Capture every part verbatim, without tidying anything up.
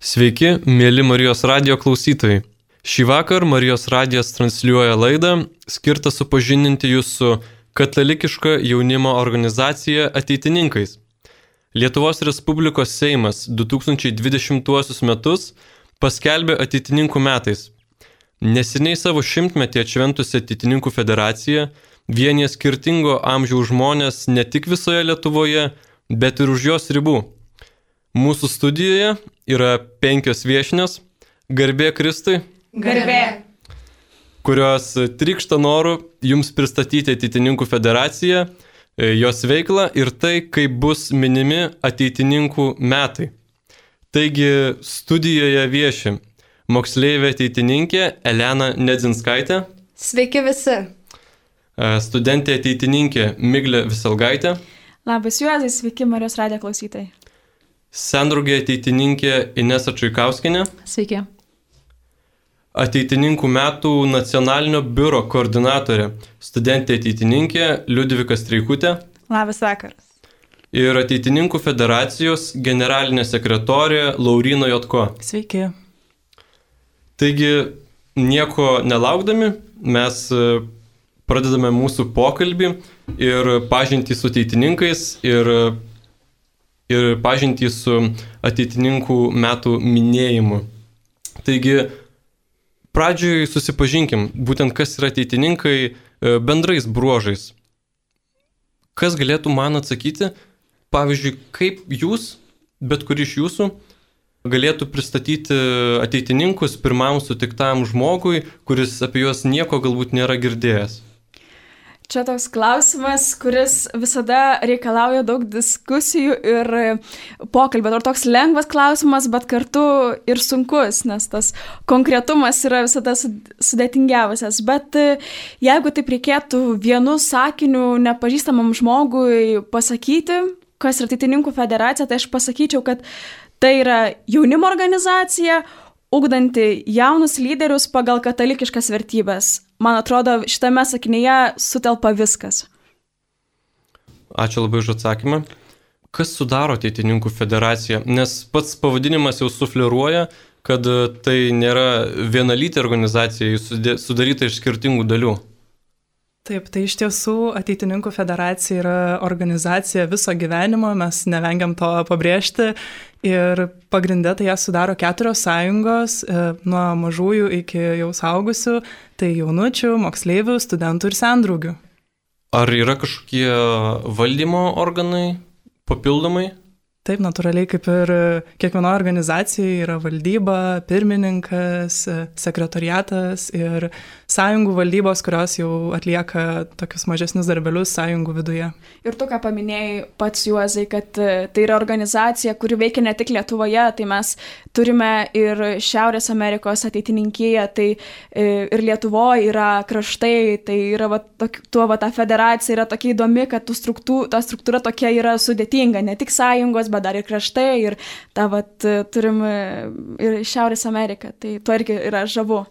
Sveiki, mėly Marijos radijo klausytojai. Šį vakar Marijos radijas transliuoja laidą, skirtą supažindinti jūs su katalikiška jaunimo organizacija Ateitininkais. Lietuvos Respublikos Seimas du tūkstančiai dvidešimtuosius metus paskelbė Ateitininkų metais. Neseniai savo šimtmetį atšventusi Ateitininkų federacija vienija skirtingo amžiaus žmonės ne tik visoje Lietuvoje, bet ir už jos ribų. Mūsų studijoje yra penkios viešnios, garbė Kristui, garbė, kurios trykšta noru jums pristatyti Ateitininkų federaciją, jos veiklą ir tai, kaip bus minimi Ateitininkų metai. Taigi studijoje vieši moksleivė ateitininkė Elena Nedzinskaitė. Sveiki visi. Studentė ateitininkė Miglė Viselgaitė. Labas Juozai, sveiki Marijos radijo klausytojai. Sendraugė ateitininkė Inesa Čaikauskienė. Sveiki. Ateitininkų metų nacionalinio biuro koordinatorė, studentė ateitininkė Liudvika Streikutė. Labas vakaras. Ir Ateitininkų federacijos generalinė sekretorė Lauryna Jotko. Sveiki. Taigi, nieko nelaukdami, mes pradedame mūsų pokalbį ir pažintį su ateitininkais ir, ir pažintį su Ateitininkų metų minėjimu. Taigi, pradžioj susipažinkim, būtent kas yra ateitininkai bendrais bruožais. Kas galėtų man atsakyti, pavyzdžiui, kaip jūs, bet kur iš jūsų, galėtų pristatyti ateitininkus pirmam sutiktam žmogui, kuris apie juos nieko galbūt nėra girdėjęs? Čia toks klausimas, kuris visada reikalauja daug diskusijų ir pokalbio. Tai toks lengvas klausimas, bet kartu ir sunkus, nes tas konkretumas yra visada sudėtingiausias. Bet jeigu taip reikėtų vienu sakiniu nepažįstamam žmogui pasakyti, kas yra Ateitininkų federacija, tai aš pasakyčiau, kad tai yra jaunimo organizacija, ugdanti jaunus lyderius pagal katalikiškas vertybės. Man atrodo, šitame sakinyje sutelpa viskas. Ačiū labai už atsakymą. Kas sudaro Ateitininkų federaciją? Nes pats pavadinimas jau sufleruoja, kad tai nėra vienalytė organizacija, jis sudaryta iš skirtingų dalių. Taip, tai iš tiesų Ateitininkų federacija yra organizacija viso gyvenimo, mes nevengiam to pabrėžti ir pagrinde tai ją sudaro keturios sąjungos, nuo mažųjų iki jau suaugusių, tai jaunučių, moksleivių, studentų ir sendraugių. Ar yra kažkokie valdymo organai papildomai? Taip, natūraliai kaip ir kiekvienoje organizacijoje yra valdyba, pirmininkas, sekretoriatas ir sąjungų valdybos, kurios jau atlieka tokius mažesnius darbelius sąjungų viduje. Ir tu ką paminėjai pats Juozai, kad tai yra organizacija, kuri veikia ne tik Lietuvoje, tai mes turime ir Šiaurės Amerikos ateitininkiją, tai ir Lietuvoje yra kraštai, tai yra va, tuo va, ta federacija yra tokia įdomi, kad struktūra, ta struktūra tokia yra sudėtinga, ne tik sąjungos, bet dar ir kraštai, ir tą vat turim ir Šiaurės Ameriką, tai tuo irgi yra žavu.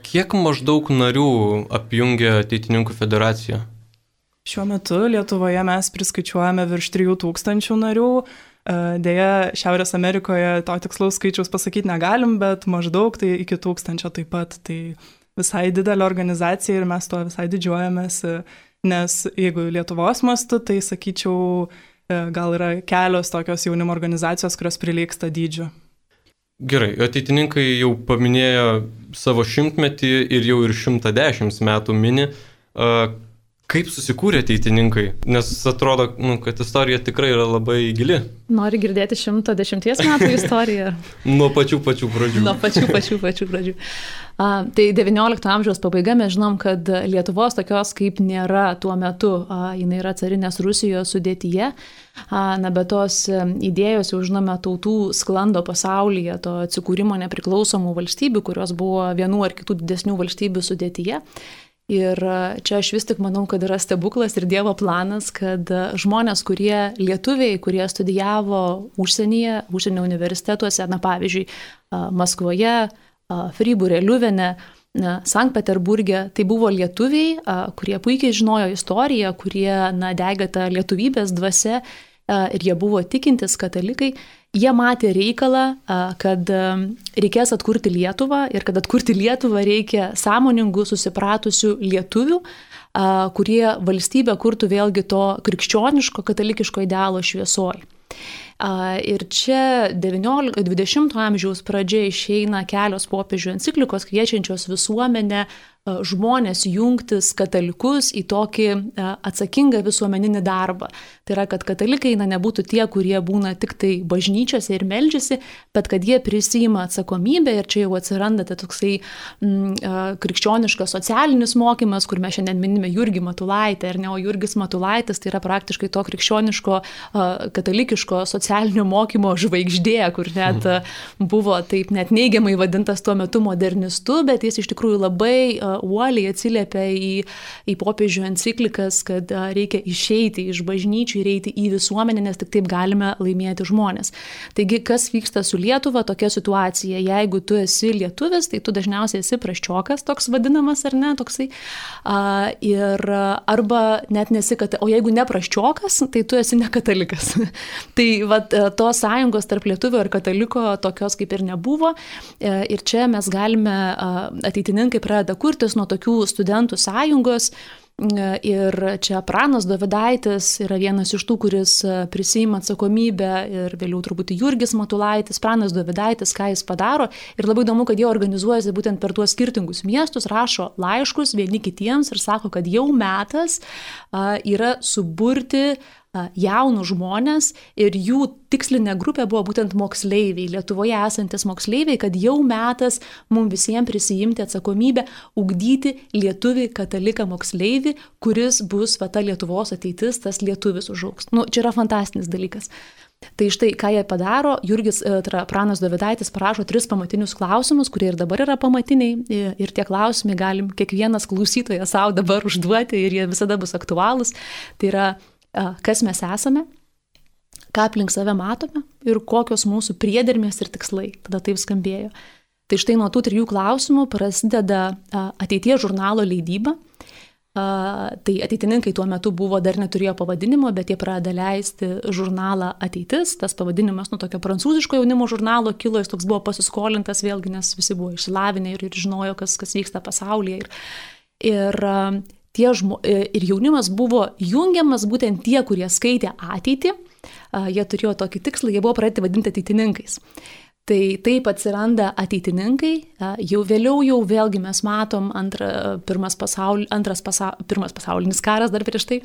Kiek maždaug narių apjungia Ateitininkų federacija? Šiuo metu Lietuvoje mes priskaičiuojame virš trijų tūkstančių narių. Deja, Šiaurės Amerikoje to tikslaus skaičiaus pasakyti negalim, bet maždaug tai iki tūkstančio taip pat. Tai visai didelė organizacija ir mes to visai didžiuojamės, nes jeigu Lietuvos mastu, tai sakyčiau, gal yra kelios tokios jaunimo organizacijos, kurios prilygsta dydžiu. Gerai, ateitininkai jau paminėjo savo šimtmetį ir jau ir šimtą dešimt metų mini. Kaip susikūrė ateitininkai? Nes atrodo, nu, kad istorija tikrai yra labai gili. Nori girdėti šimto dešimties metų istoriją? Nuo pačių pačių pradžių. Nuo pačių pačių pačių pradžių. A, tai devyniolikto amžiaus pabaiga, mes žinom, kad Lietuvos tokios kaip nėra tuo metu. A, jinai yra carinės Rusijos sudėtyje. A, na, bet tos idėjos jau žinome tautų sklando pasaulyje, to atsikūrimo nepriklausomų valstybių, kurios buvo vienų ar kitų didesnių valstybių sudėtyje. Ir čia aš vis tik manau, kad yra stebuklas ir Dievo planas, kad žmonės, kurie lietuviai, kurie studijavo užsienyje, užsienio universitetuose, na pavyzdžiui, Maskvoje, Fribūre, Liuvene, Sankt Peterburge, tai buvo lietuviai, kurie puikiai žinojo istoriją, kurie na, degė tą lietuvybės dvasia ir jie buvo tikintis katalikai. Jie matė reikalą, kad reikės atkurti Lietuvą ir kad atkurti Lietuvą reikia sąmoningų, susipratusių lietuvių, kurie valstybę kurtų vėlgi to krikščioniško, katalikiško idealo šviesoj. Ir čia devyniolikto dvidešimto amžiaus pradžia išeina kelios popiežių enciklikos kviečiančios visuomenę žmonės jungtis katalikus į tokį atsakingą visuomeninį darbą. Tai yra, kad katalikai na, nebūtų tie, kurie būna tik tai bažnyčiose ir meldžiasi, bet kad jie prisima atsakomybę ir čia jau atsiranda tai toksai mm, krikščioniškas socialinis mokymas, kur mes šiandien minime Jurgį Matulaitę, ar ne, o Jurgis Matulaitis tai yra praktiškai to krikščioniško katalikiško socialinio mokymo žvaigždė, kur net buvo taip net neigiamai vadintas tuo metu modernistu, bet jis iš tikrųjų labai uoliai atsiliepia į, į popiežių enciklikas, kad reikia išeiti iš bažnyčių ir eiti į visuomenę, nes tik taip galime laimėti žmonės. Taigi, kas vyksta su Lietuva, tokia situacija. Jeigu tu esi lietuvis, tai tu dažniausiai esi prasčiokas, toks vadinamas ar ne, toksai. A, ir arba net nesi, kad, o jeigu ne prasčiokas, tai tu esi ne katalikas. Tai vat, tos sąjungos tarp lietuvio ir kataliko tokios kaip ir nebuvo. Ir čia mes galime, ateitininkai pradeda kurti nuo tokių studentų sąjungos ir čia Pranas Dovydaitis yra vienas iš tų, kuris prisima atsakomybę ir vėliau turbūt Jurgis Matulaitis, Pranas Dovydaitis, ką jis padaro ir labai įdomu, kad jie organizuojasi būtent per tuos skirtingus miestus, rašo laiškus vieni kitiems ir sako, kad jau metas yra suburti jaunų žmonės ir jų tikslinė grupė buvo būtent moksleiviai, Lietuvoje esantis moksleiviai, kad jau metas mums visiems prisijimti atsakomybę, ugdyti lietuvį kataliką moksleivį, kuris bus va, ta Lietuvos ateitis, tas lietuvis užaugs. Nu, čia yra fantastinis dalykas. Tai štai, ką jie padaro, Jurgis Pranas Dovydaitis parašo tris pamatinius klausimus, kurie ir dabar yra pamatiniai ir tie klausimai galim kiekvienas klausytojas savo dabar užduoti ir jie visada bus aktualūs. Tai yra kas mes esame, ką aplink save matome ir kokios mūsų priedermės ir tikslai. Tada taip skambėjo. Tai štai nuo tų trijų klausimų prasideda ateities žurnalo leidyba. Tai ateitininkai tuo metu buvo, dar neturėjo pavadinimo, bet jie pradeda leisti žurnalą Ateitis. Tas pavadinimas nuo tokio prancūziško jaunimo žurnalo kilo, jis toks buvo pasiskolintas vėlgi, nes visi buvo išsilavinę ir, ir žinojo, kas, kas vyksta pasaulyje. Ir, ir Tie žmo, ir jaunimas buvo jungiamas būtent tie, kurie skaitė ateitį, jie turėjo tokį tikslą, jie buvo pradėti vadinti ateitininkais. Tai taip atsiranda ateitininkai, jau vėliau jau vėlgi mes matom antra, pirmas, pasaul, antras pasa, pirmas pasaulinis karas dar prieš tai,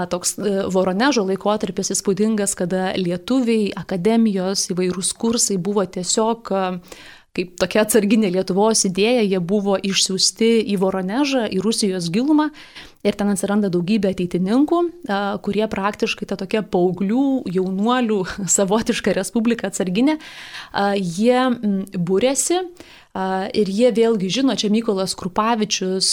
toks Voronežo laikotarpis įspūdingas, kada lietuviai, akademijos, įvairūs kursai buvo tiesiog kaip tokia atsarginė Lietuvos idėja, jie buvo išsiųsti į Voronežą, į Rusijos gilumą ir ten atsiranda daugybė ateitininkų, kurie praktiškai ta tokia paauglių, jaunuolių, savotiška respublika atsarginė, jie būrėsi ir jie vėlgi žino, čia Mykolas Krupavičius,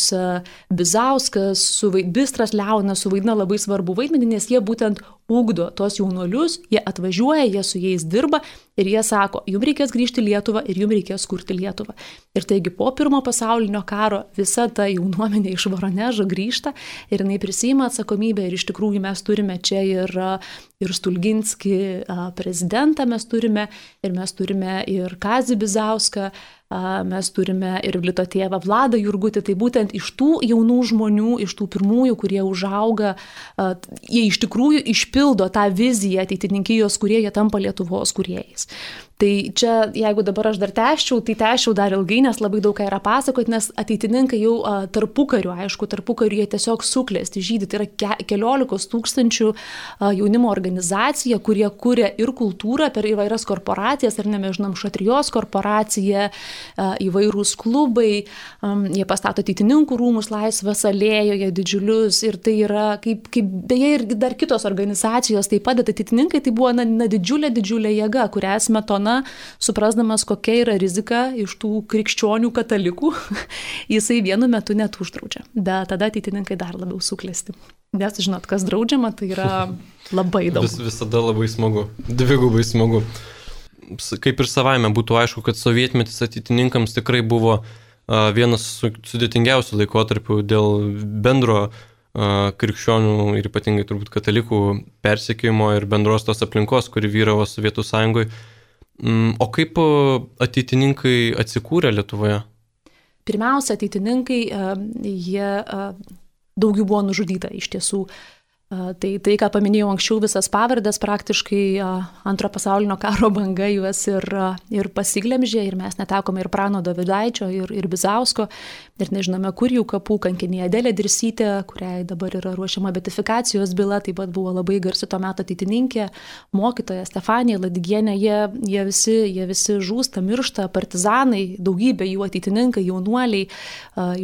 Bizauskas, Bistras Leonas suvaidina labai svarbu vaidmenį, nes jie būtent ugdo tos jaunuolius, jie atvažiuoja, jie su jais dirba ir jie sako, jums reikės grįžti į Lietuvą ir jums reikės kurti Lietuvą. Ir taigi po pirmo pasaulinio karo visa ta jaunuomenė iš Voronežo grįžta ir jinai prisima atsakomybę ir iš tikrųjų mes turime čia ir, ir Stulginskį prezidentą mes turime ir mes turime ir Kazį Bizauską, mes turime ir Vlito tėvą Vladą Jurgutį, tai būtent iš tų jaunų žmonių, iš tų pirmųjų, kurie užauga, jie iš tikrųjų išpildo tą viziją ateitininkijos, kurie jie tampa Lietuvos kūrėjais. Tai čia, jeigu dabar aš dar tęsčiau, tai tęsčiau dar ilgai, nes labai daug ką yra pasakoti, nes ateitininkai jau a, tarpukariu, aišku, tarpukariu jie tiesiog suklesti žydį, tai yra ke, keliolikos tūkstančių a, jaunimo organizacija, kurie kuria ir kultūrą per įvairias korporacijas, ar ne, mes žinom, Šatrijos korporacija, a, įvairūs klubai, a, jie pastato ateitininkų rūmus Laisvės alėjoje didžiulius ir tai yra, kaip, kaip beje ir dar kitos organizacijos, taip pat ateitininkai, tai buvo na, na, didžiulė, didžiulė jėga, kurią Smetona, suprasdamas, kokia yra rizika iš tų krikščionių katalikų, jisai vienu metu net uždraudžia. Bet tada ateitininkai dar labiau suklesti. Nes, žinot, kas draudžiama, tai yra labai daug. Vis, visada labai smagu, dvigubai smagu. Kaip ir savaime būtų aišku, kad sovietmetis ateitininkams tikrai buvo vienas sudėtingiausių laikotarpių dėl bendro krikščionių ir ypatingai turbūt katalikų persekiojimo ir bendros tos aplinkos, kuri vyravo Sovietų Sąjungoje. O kaip ateitininkai atsikūrė Lietuvoje? Pirmiausia, ateitininkai, jie daug jų buvo nužudyta iš tiesų. Tai, tai, ką paminėjau anksčiau, visas pavardės praktiškai antro pasaulinio karo banga juos ir, ir pasiglemžė, ir mes netekome ir Prano Dovydaičio, ir, ir Bizausko, ir nežinome, kur jų kapų, kankinė Adelė Dirsytė, kuriai dabar yra ruošiama beatifikacijos byla, taip pat buvo labai garsi to meto ateitininkė, mokytoja Stefanija Ladigienė, jie, jie, visi, jie visi žūsta, miršta, partizanai, daugybė jų ateitininkai, jaunuoliai,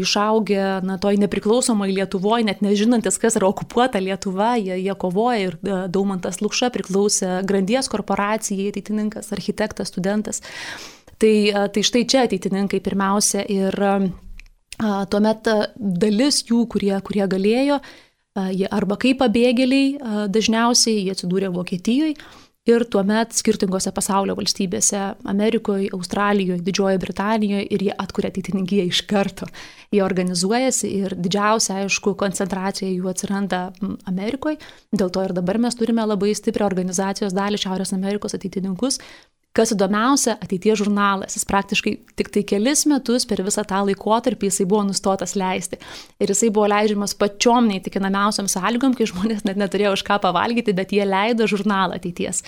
išaugę na, toj nepriklausomai Lietuvoje, net nežinantis, kas yra okupuota Lietuva. Jie, jie kovoja ir Daumantas Lukša priklausė Grandies korporacijai, ateitininkas, architektas, studentas. Tai, tai štai čia ateitininkai pirmiausia ir a, tuomet dalis jų, kurie, kurie galėjo, a, jie arba kaip pabėgėliai, a, dažniausiai jie atsidūrė Vokietijoje ir tuomet skirtingose pasaulio valstybėse, Amerikoje, Australijoje, Didžiojoje Britanijoje ir jie atkuria ateitininkiją iš karto. Jie organizuojasi ir didžiausia, aišku, koncentracija jų atsiranda Amerikoje. Dėl to ir dabar mes turime labai stiprią organizacijos dalį Šiaurės Amerikos ateitininkus. Kas įdomiausia, ateities žurnalas. Jis praktiškai tik tai kelis metus per visą tą laikotarpį jisai buvo nustotas leisti. Ir jisai buvo leidžiamas pačiom neįtikinamiausiam sąlygom, kai žmonės net neturėjo už ką pavalgyti, bet jie leido žurnalą ateities.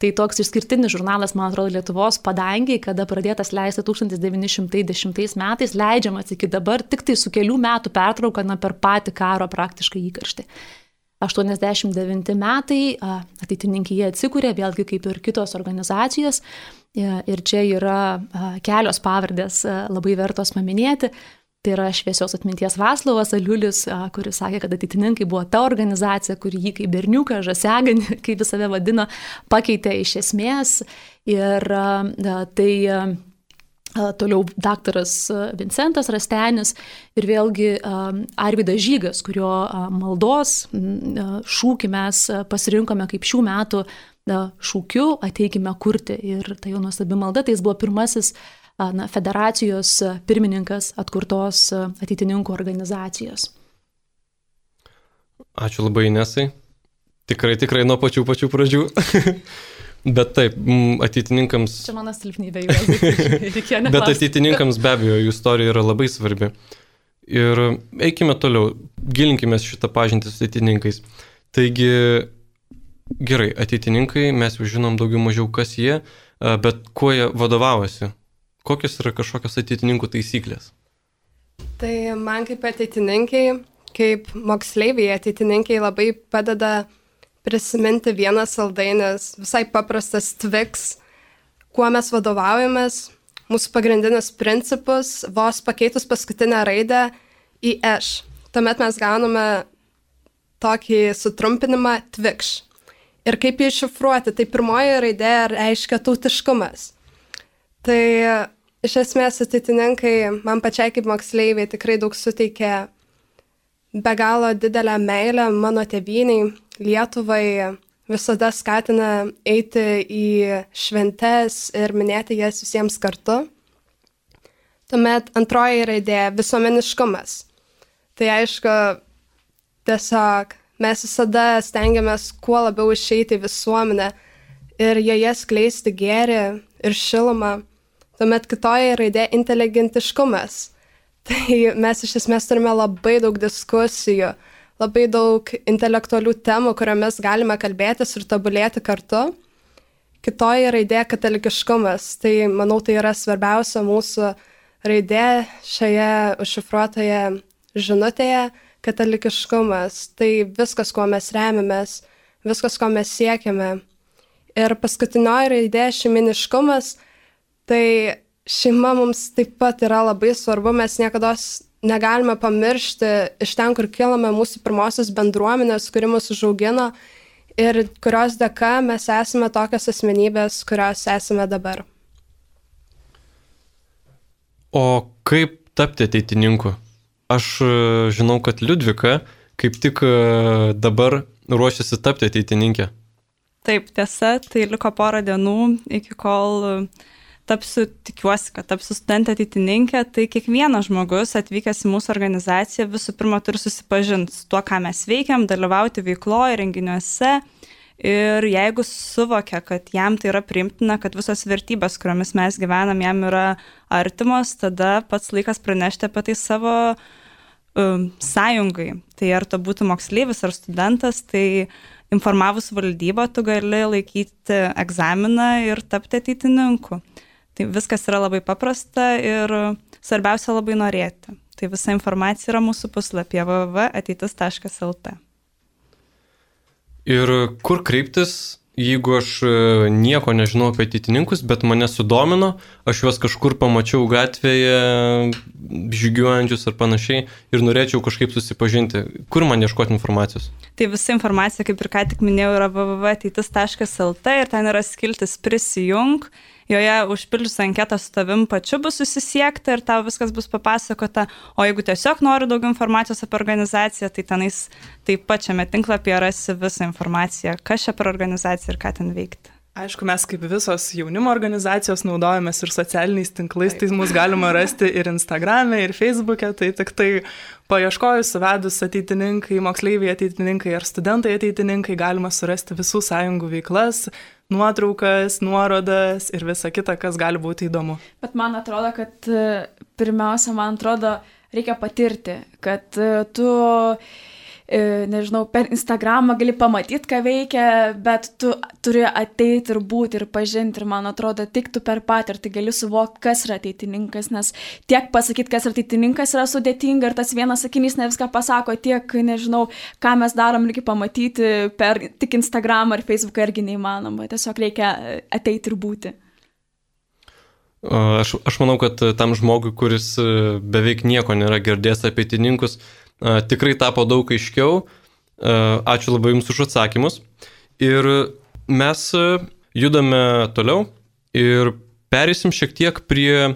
Tai toks išskirtinis žurnalas, man atrodo, Lietuvos padangiai, kada pradėtas leisti tūkstantis devyni šimtai dešimtais metais, leidžiamas iki dabar tik tai su kelių metų pertrauka na, per patį karo praktiškai įkarštį. aštuoniasdešimt devinti metai, ateitininkija atsikūrė, vėlgi kaip ir kitos organizacijos, ir čia yra kelios pavardės labai vertos paminėti. Tai yra šviesios atminties Vaclovas Aliulis, kuris sakė, kad ateitininkai buvo ta organizacija, kuri jį kaip berniuką, žasiaganį, kaip jis save vadino, pakeitė iš esmės. Ir tai toliau daktaras Vincentas Rastenis ir vėlgi Arvydas Žygas, kurio maldos šūkį mes pasirinkome kaip šių metų šūkiu ateikime kurti. Ir tai jo nuostabi malda, tai jis buvo pirmasis na, federacijos pirmininkas atkurtos ateitininkų organizacijos. Ačiū labai, Inesai. Tikrai, tikrai nuo pačių pačių pradžių. Bet taip, ateitininkams... Čia mano silpnybė jau reikėjo neklausti. Bet ateitininkams be abejo, jų istorija yra labai svarbi. Ir eikime toliau, gilinkime šitą pažintį su ateitininkais. Taigi, gerai, ateitininkai, mes jau žinom daugiau mažiau, kas jie, bet kuo jie vadovavosi? Kokios yra kažkokios ateitininkų taisyklės? Tai man kaip ateitininkai, kaip moksleiviai ateitininkai labai padeda prisiminti vienas saldainis, visai paprastas Twix, kuo mes vadovaujamės, mūsų pagrindinius principus, vos pakeitus paskutinę raidę į eš. Tuomet mes gauname tokį sutrumpinimą Twix. Ir kaip jį iššifruoti, tai pirmoji raidė reiškia tautiškumas. Tai iš esmės ateitininkai, man pačiai kaip moksleiviai, tikrai daug suteikė be galo didelę meilę mano tėvyniai, Lietuvai, visada skatina eiti į šventes ir minėti jas visiems kartu. Tuomet antroji raidė – visuomeniškumas. Tai aišku, tiesiog mes visada stengiamės kuo labiau išeiti į visuomenę ir joje skleisti gėrį ir šilumą. Tuomet kitoji raidė – inteligentiškumas. Tai mes iš esmės turime labai daug diskusijų, labai daug intelektualių temų, kuriomis galime kalbėtis ir tobulėti kartu. Kitoji raidė – katalikiškumas. Tai, manau, tai yra svarbiausia mūsų raidė šioje užšifruotoje žinutėje – katalikiškumas. Tai viskas, kuo mes remiamės, viskas, ko mes siekiame. Ir paskutinioji raidė – šeiminiškumas. Tai šeima mums taip pat yra labai svarbu, mes niekados negalime pamiršti iš ten, kur kilame mūsų pirmosios bendruomenės, kuri mus užaugino ir kurios dėka mes esame tokios asmenybės, kurios esame dabar. O kaip tapti ateitininku? Aš žinau, kad Liudvika kaip tik dabar ruošiasi tapti ateitininkė. Taip, tiesa, tai liko porą dienų iki kol tapsiu, tikiuosi, kad tapsiu studentė ateitininkė, tai kiekvienas žmogus atvykęs į mūsų organizaciją visų pirma turi susipažinti su tuo, ką mes veikiam, dalyvauti veikloje, renginiuose ir jeigu suvokia, kad jam tai yra priimtina, kad visos vertybės, kuriomis mes gyvenam, jam yra artimos, tada pats laikas pranešti apie tai savo um, sąjungai. Tai ar to būtų moksleivis ar studentas, tai informavus valdybą tu gali laikyti egzaminą ir tapti ateitininku. Tai viskas yra labai paprasta ir svarbiausia labai norėti. Tai visa informacija yra mūsų puslapyje w w w taškas ateitis taškas l t. Ir kur kreiptis, jeigu aš nieko nežinau apie ateitininkus, bet mane sudomino, aš juos kažkur pamačiau gatvėje, žygiuojančius ar panašiai ir norėčiau kažkaip susipažinti. Kur man ieškoti informacijos? Tai visa informacija, kaip ir ką tik minėjau, yra w w w taškas ateitis taškas l t ir ten yra skiltis prisijung. Joje užpildžius anketą su tavim pačiu bus susisiekta ir tau viskas bus papasakota. O jeigu tiesiog nori daugiau informacijos apie organizaciją, tai tenais taip pat šiame tinklapyje rasi visą informaciją, kas čia per organizacija ir ką ten veikti. Aišku, mes kaip visos jaunimo organizacijos naudojamės ir socialiniais tinklais, tai mus galima rasti ir Instagrame, ir Facebook'e, tai tik tai paieškojus, suvedus ateitininkai, moksleiviai ateitininkai ar studentai ateitininkai, galima surasti visų sąjungų veiklas, nuotraukas, nuorodas ir visa kita, kas gali būti įdomu. Bet man atrodo, kad pirmiausia, man atrodo, reikia patirti, kad tu, nežinau, per Instagramą gali pamatyti, ką veikia, bet tu turi ateiti ir būti ir pažinti ir man atrodo, tik tu per patirtį gali suvokti, kas yra ateitininkas, nes tiek pasakyti, kas yra ateitininkas yra sudėtinga ir tas vienas sakinys ne viską pasako, tiek, nežinau, ką mes darom, reikia pamatyti per tik Instagramą ar Facebooką irgi neįmanoma, tiesiog reikia ateiti ir būti. Aš, aš manau, kad tam žmogui, kuris beveik nieko nėra girdėjęs apie ateitininkus, tikrai tapo daug aiškiau. Ačiū labai Jums už atsakymus. Ir mes judame toliau ir perėsim šiek tiek prie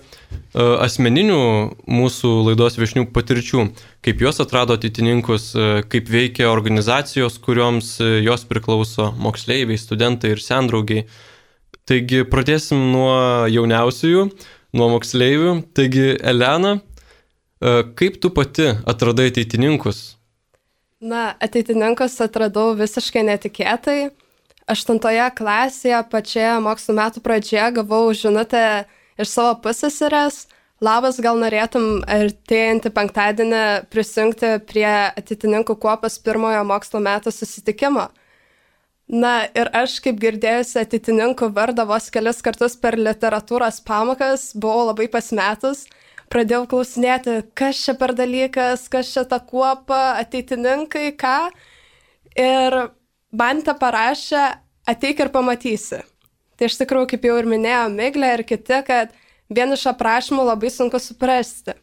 asmeninių mūsų laidos viešnių patirčių, kaip jos atrado ateitininkus, kaip veikia organizacijos, kurioms jos priklauso, moksleiviai, studentai ir sendraugiai. Taigi pradėsim nuo jauniausiųjų, nuo moksleivių. Taigi, Elena, kaip tu pati atradai ateitininkus? Na, ateitininkus atradau visiškai netikėtai. Aštuntoje klasėje, pačioje mokslo metų pradžioje, gavau žinutę iš savo pusseserės. Labas, gal norėtum artėjantį penktadienį prisijungti prie ateitininkų kuopos pirmojo mokslo metų susitikimo. Na, ir aš, kaip girdėjusi ateitininkų vardą vos kelis kartus per literatūros pamokas, buvau labai pasimetus. Pradėjau klausinėti, kas čia per dalykas, kas čia ta kuopa, ateitininkai, ką. Ir man te parašė, ateik ir pamatysi. Tai iš tikrųjų, kaip jau ir minėjo Miglė ir kiti, kad vien iš aprašymų labai sunku suprasti.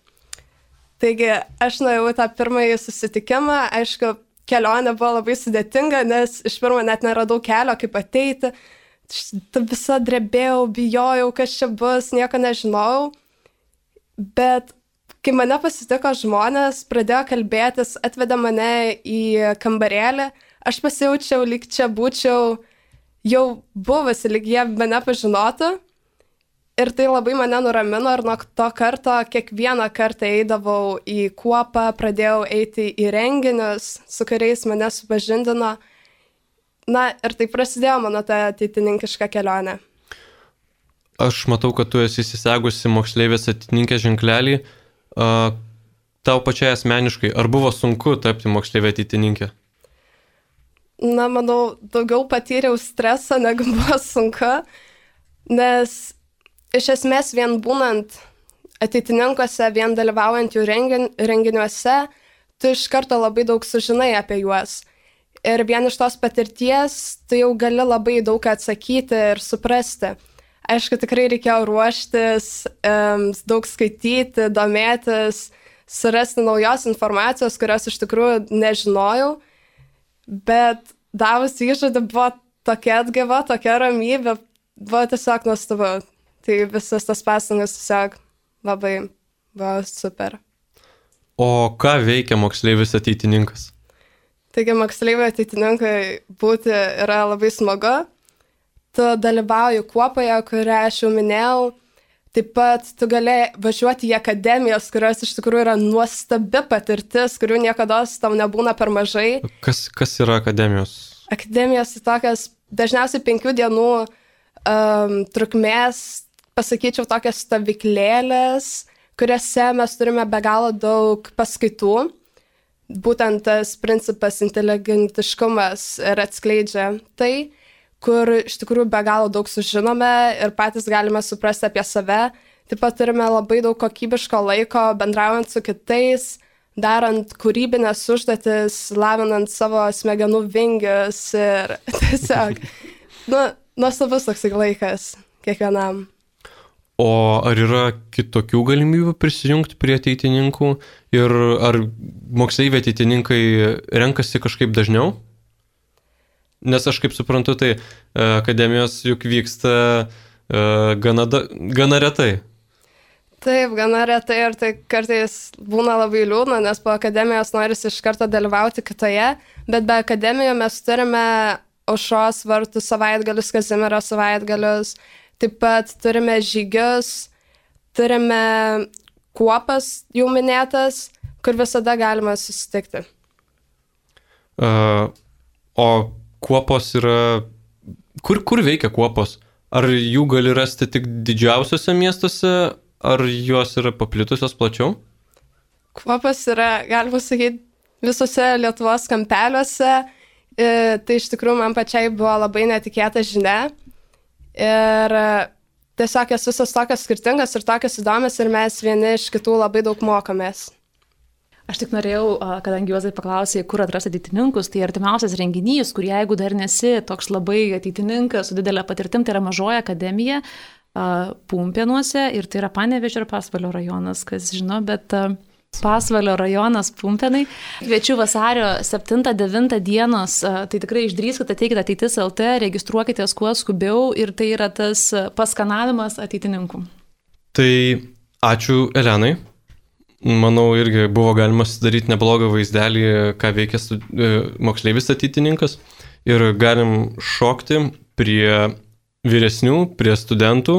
Taigi aš nuėjau tą pirmąjį susitikimą, aišku, kelionė buvo labai sudėtinga, nes iš pirmo net neradau kelio, kaip ateiti. Visa drebėjau, bijojau, kas čia bus, nieko nežinojau. Bet kai mane pasitiko žmonės, pradėjo kalbėtis, atvedė mane į kambarėlį, aš pasijaučiau, lyg čia būčiau jau buvusi, lyg jie mane pažinotų. Ir tai labai mane nuramino ir nuo to karto kiekvieną kartą eidavau į kuopą, pradėjau eiti į renginius, su kuriais mane supažindino. Na ir tai prasidėjo mano ta ateitininkiška kelionė. Aš matau, kad tu esi įsisegusi moksleivės ateitininkės ženklelį. Tau pačiai asmeniškai, ar buvo sunku tapti moksleivė ateitininkė? Na, manau, daugiau patyriau stresą, negu buvo sunku, nes iš esmės vien būnant ateitininkuose, vien dalyvaujant jų rengin, renginiuose, tu iš karto labai daug sužinai apie juos. Ir vien iš tos patirties tu jau gali labai daug atsakyti ir suprasti. Aišku, tikrai reikėjo ruoštis, um, daug skaityti, domėtis, surasti naujos informacijos, kurios iš tikrųjų nežinojau, bet davus įžodį buvo tokia atgaiva, tokia ramybė, buvo tiesiog nuostabu. Tai visas tas pastangas tiesiog labai buvo super. O ką veikia moksleivis ateitininkas? Taigi moksleiviai ateitininkai būti yra labai smagu. Tu dalyvauji kuopoje, kurią aš jau minėjau, Taip pat tu gali važiuoti į akademijas, kurios iš tikrųjų yra nuostabi patirtis, kurių niekada tau nebūna per mažai. Kas, kas yra akademijos? Akademijos tai tokias dažniausiai penkių dienų um, trukmės, pasakyčiau, tokias stovyklėlės, kuriuose mes turime be galo daug paskaitų. Būtent tas principas inteligentiškumas ir atskleidžia tai, kur iš tikrųjų be galo daug sužinome ir patys galime suprasti apie save. Taip pat turime labai daug kokybiško laiko bendraujant su kitais, darant kūrybinės užduotis, lavinant savo smegenų vingius ir tiesiog, nu, nuostabus toks laikas kiekvienam. O ar yra kitokių galimybių prisijungti prie ateitininkų ir ar moksleiviai ateitininkai renkasi kažkaip dažniau? Nes aš kaip suprantu, tai akademijos juk vyksta uh, gana, da, gana retai. Taip, gana retai ir tai kartais būna labai liūdna, nes po akademijos norisi iš karto dalyvauti kitoje, bet be akademijų mes turime Aušros vartų savaitgalius, Kazimiero savaitgalius, taip pat turime žygius, turime kuopas jau minėtas, kur visada galima susitikti. Uh, o kuopos yra... Kur, kur veikia kuopos? Ar jų gali rasti tik didžiausiuose miestuose, ar jos yra paplitusios plačiau? Kuopos yra, galima sakyti, visose Lietuvos kampeliuose. E, tai iš tikrųjų man pačiai buvo labai netikėta žinia. Ir tiesiog jas visos tokios skirtingas ir tokios įdomios ir mes vieni iš kitų labai daug mokomės. Aš tik norėjau, kadangi Juozai paklausė, kur atrasti ateitininkus, tai artimiausias renginys, kur jeigu dar nesi toks labai ateitininkas su didelė patirtim, tai yra Mažoji akademija Pumpėnuose ir tai yra Panevėžio ir Pasvalio rajonas, kas žino, bet Pasvalio rajonas Pumpėnai. Kviečiu vasario septintą devintą dienos, tai tikrai išdrįskite, ateikite ateitis L T, registruokitės kuo skubiau ir tai yra tas paskanavimas ateitininkų. Tai ačiū Elenai. Manau, irgi buvo galima sudaryti neblogą vaizdelį, ką veikia stud... moksleivis ateitininkas. Ir galim šokti prie vyresnių, prie studentų.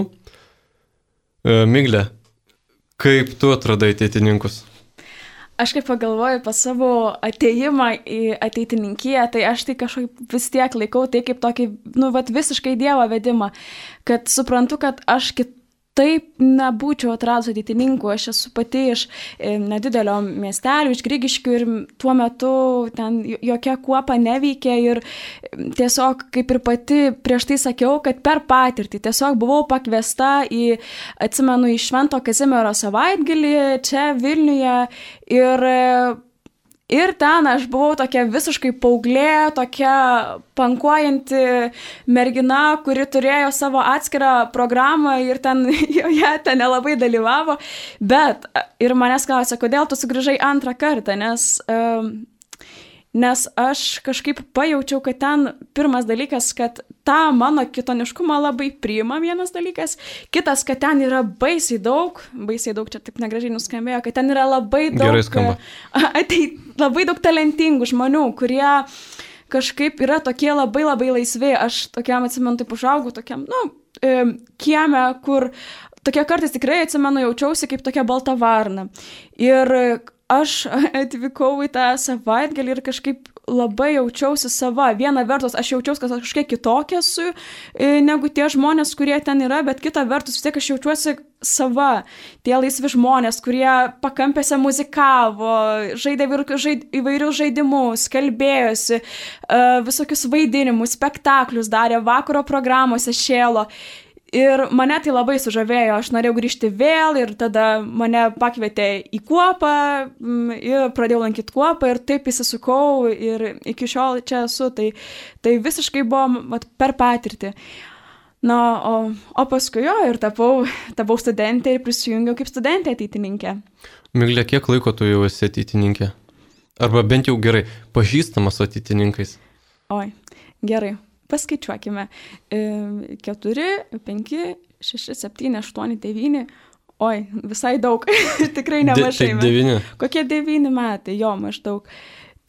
Migle, kaip tu atradai ateitininkus? Aš kaip pagalvoju pas savo ateimą į ateitininkiją, tai aš tai kažkaip vis tiek laikau tai kaip tokį, nu, vat, visiškai Dievo vedimą, kad suprantu, kad aš kit taip nebūčiau atradus ateitininkų, aš esu pati iš nedidelio miestelio, iš Grigiškių ir tuo metu ten jokia kuopa neveikia ir tiesiog kaip ir pati prieš tai sakiau, kad per patirtį tiesiog buvau pakviesta į, atsimenu, į Švento Kazimiero savaitgalį čia Vilniuje ir Ir ten aš buvau tokia visiškai paauglė, tokia pankuojanti mergina, kuri turėjo savo atskirą programą ir ten joje ten nelabai dalyvavo. Bet ir manęs klausė, kodėl tu sugrįžai antrą kartą, nes, nes aš kažkaip pajaučiau, kad ten pirmas dalykas, kad tą mano kitoniškumą labai priima vienas dalykas, kitas, kad ten yra baisiai daug, baisiai daug, čia taip negražiai nuskambėjo, kad ten yra labai daug, ateit, labai daug talentingų žmonių, kurie kažkaip yra tokie labai labai laisvi. Aš tokiam atsimenu, taip užaugau, tokiam, nu, kieme, kur tokia kartais tikrai atsimenu, jaučiausi kaip tokia balta varna. Ir aš atvykau į tą savaitgalį ir kažkaip labai jaučiausi sava. Viena vertus, aš jaučiausi, kad aš kažkiek kitokia esu negu tie žmonės, kurie ten yra, bet kita vertus, vis tiek aš jaučiuosi sava. Tie laisvi žmonės, kurie pakampėse muzikavo, žaidė įvairius žaidimus, kalbėjosi, visokius vaidinimus, spektaklius darė, vakaro programuose šėlo. Ir mane tai labai sužavėjo, aš norėjau grįžti vėl ir tada mane pakvietė į kuopą ir pradėjau lankyti kuopą ir taip įsisukau ir iki šiol čia esu, tai, tai visiškai buvo vat, per patirtį. Na, o, o paskui jo ir tapau, tapau studentė ir prisijungiau kaip studentė ateitininkė. Miglė, kiek laiko tu jau esi ateitininkė? Arba bent jau gerai pažįstamas su ateitininkais? Oi, gerai. Paskaičiuokime. keturi, penki, šeši, septyni, aštuoni, devyni. Oi, visai daug. Tikrai nemažai. De, tai devyni. Kokie devyni metai, jo, maždaug.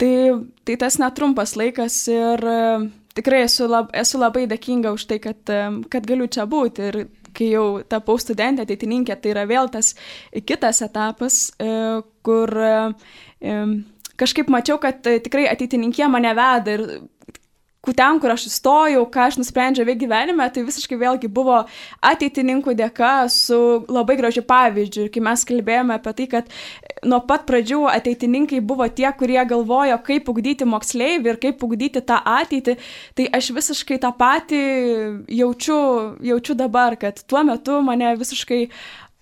Tai, tai tas netrumpas laikas ir tikrai esu, lab, esu labai dėkinga už tai, kad, kad galiu čia būti. Ir kai jau tapau studentė, ateitininkė, tai yra vėl tas kitas etapas, kur kažkaip mačiau, kad tikrai ateitininkė mane veda ir ten, kur aš įstojau, ką aš nusprendžiau veikti gyvenime, tai visiškai vėlgi buvo ateitininkų dėka su labai gražiu pavyzdžiu. Ir kai mes kalbėjome apie tai, kad nuo pat pradžių ateitininkai buvo tie, kurie galvojo, kaip ugdyti moksleivį ir kaip ugdyti tą ateitį, tai aš visiškai tą patį jaučiu, jaučiu dabar, kad tuo metu mane visiškai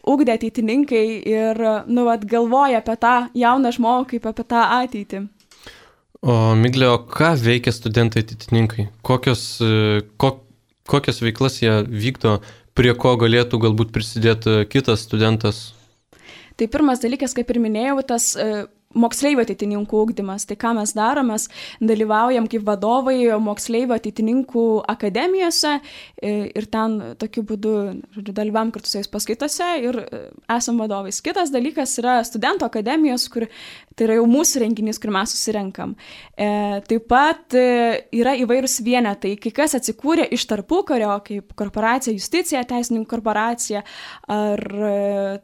ugdė ateitininkai ir nu, vat, galvoja apie tą jauną žmogų kaip apie tą ateitį. O Miglė, o ką veikia studentai ateitininkai? Kokios, ko, kokios veiklas jie vykdo, prie ko galėtų galbūt prisidėti kitas studentas? Tai pirmas dalykas, kaip ir minėjau, tas moksleivio ateitininkų ugdymas. Tai ką mes darom, mes dalyvaujam kaip vadovai moksleivio ateitininkų akademijose ir ten tokiu būdu žodžiu, dalyvavom kartu su jais paskaitose ir esam vadovais. Kitas dalykas yra studentų akademijos, kur tai yra jau mūsų renginys, kur mes susirenkam. E, taip pat e, yra įvairūs vienetai, kai kas atsikūrė iš tarpukario, kaip korporacija Justicija, teisininkų korporacija, ar e,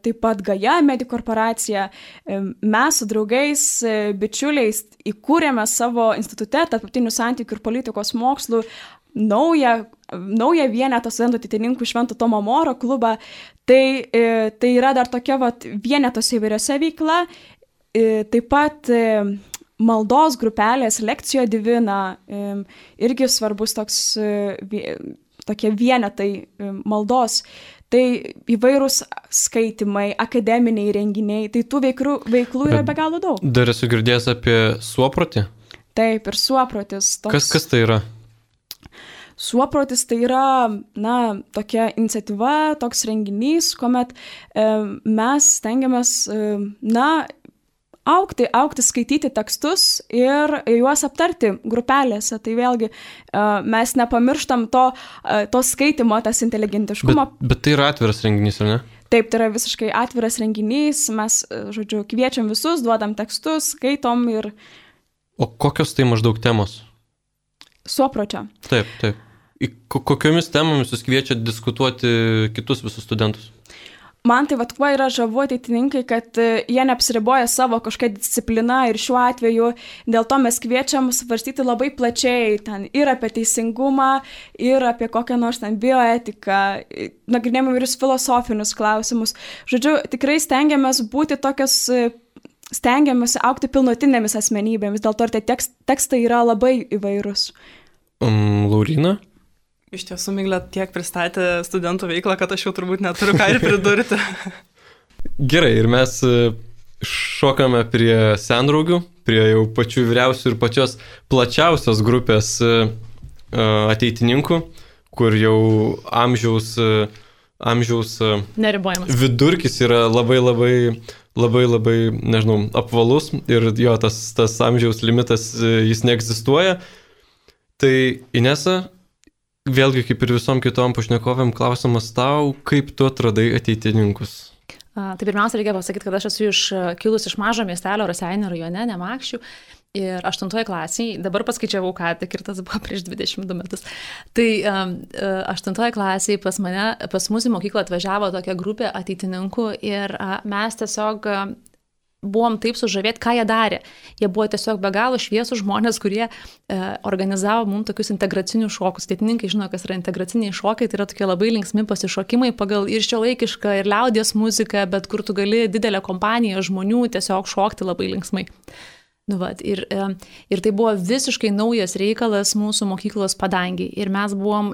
taip pat Gaja medikų korporacija. E, mes su draugais, e, bičiuliais įkūrėme savo institute tarptautinių santykių ir politikos mokslų naują, naują vienetą studentų ateitininkų Švento Tomo Moro klubą. Tai, e, tai yra dar tokia vat, vienetose įvairiose veikla. Taip pat maldos grupelės Lekcijo Divina, irgi svarbus toks, tokie vienetai maldos. Tai įvairūs skaitimai, akademiniai renginiai, tai tų veiklų, veiklų yra be galo daug. Dar esu girdėjęs apie suoprotį? Taip, ir suoprotis. Toks... Kas, kas tai yra? Suoprotis tai yra, na, tokia iniciatyva, toks renginys, kuomet e, mes stengiamės, e, na, Aukti, aukti, skaityti tekstus ir juos aptarti grupelėse. Tai vėlgi mes nepamirštam to, to skaitimo, tas inteligentiškumo. Bet, bet tai yra atviras renginys, ar ne? Taip, tai yra visiškai atviras renginys. Mes, žodžiu, kviečiam visus, duodam tekstus, skaitom ir... O kokios tai maždaug temos? Suopročio. Taip, taip. Į kokiomis temomis jūs kviečiat diskutuoti kitus visus studentus? Man tai vat kuo yra žavu ateitininkai, kad jie neapsiriboja savo kažkokią discipliną ir šiuo atveju dėl to mes kviečiam svarstyti labai plačiai ten ir apie teisingumą, ir apie kokią nors ten bioetiką, nagrinėjam įvairius filosofinius klausimus. Žodžiu, tikrai stengiamės būti tokios, stengiamės augti pilnutinėmis asmenybėmis, dėl to ir tie tekst, tekstai yra labai įvairūs. Um, Laurina? Iš tiesų, Miglė tiek pristatė studentų veiklą, kad aš jau turbūt neturiu ką ir pridurti. Gerai, ir mes šokame prie sendraugių, prie jau pačių vyriausių ir pačios plačiausios grupės ateitininkų, kur jau amžiaus, amžiaus vidurkis yra labai labai, labai labai, nežinau, apvalus ir jo, tas, tas amžiaus limitas, jis neegzistuoja. Tai Inesa, vėlgi, kaip ir visom kitom pašnekovėm, klausimas tau, kaip tu atradai ateitininkus? A, tai pirmiausia, reikia pasakyti, kad aš esu iš, kilus iš mažo miestelio Raseinių rajone, Nemakščių. Ir aštuntoje klasėje, dabar paskaičiavau, ką tik ir tas buvo prieš dvidešimt du metus. Tai um, aštuntoje klasėje pas mane, pas mus į mokyklą atvažiavo tokia grupė ateitininkų ir uh, mes tiesiog... Uh, buvom taip sužavėti, ką jie darė. Jie buvo tiesiog be galo šviesų žmonės, kurie e, organizavo mums tokius integracinius šokus. Ateitininkai žino, kas yra integraciniai šokai, tai yra tokie labai linksmi pasišokimai pagal ir šiuolaikišką, ir liaudies muziką, bet kur tu gali didelę kompaniją žmonių tiesiog šokti labai linksmai. Nu, vat, ir, ir tai buvo visiškai naujas reikalas mūsų mokyklos padangiai. Ir mes buvom,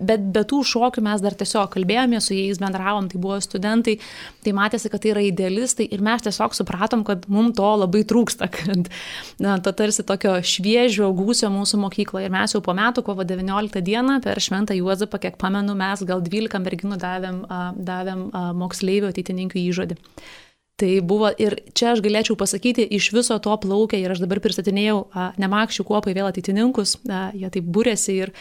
bet be tų šokių mes dar tiesiog kalbėjome su jais, bendravom, tai buvo studentai, tai matėsi, kad tai yra idealistai ir mes tiesiog supratom, kad mums to labai trūksta, kad na, to tarsi tokio šviežio gūsio mūsų mokykloje. Ir mes jau po metų, kovo devynioliktą dieną, per Šventą Juozapą, kiek pamenu, mes gal dvylika merginų davėm, davėm moksleivių ateitininkų įžodį. Tai buvo ir čia aš galėčiau pasakyti, iš viso to plaukia ir aš dabar pristatinėjau a, Nemakščių kuopai vėl ateitininkus, a, jie taip būrėsi ir,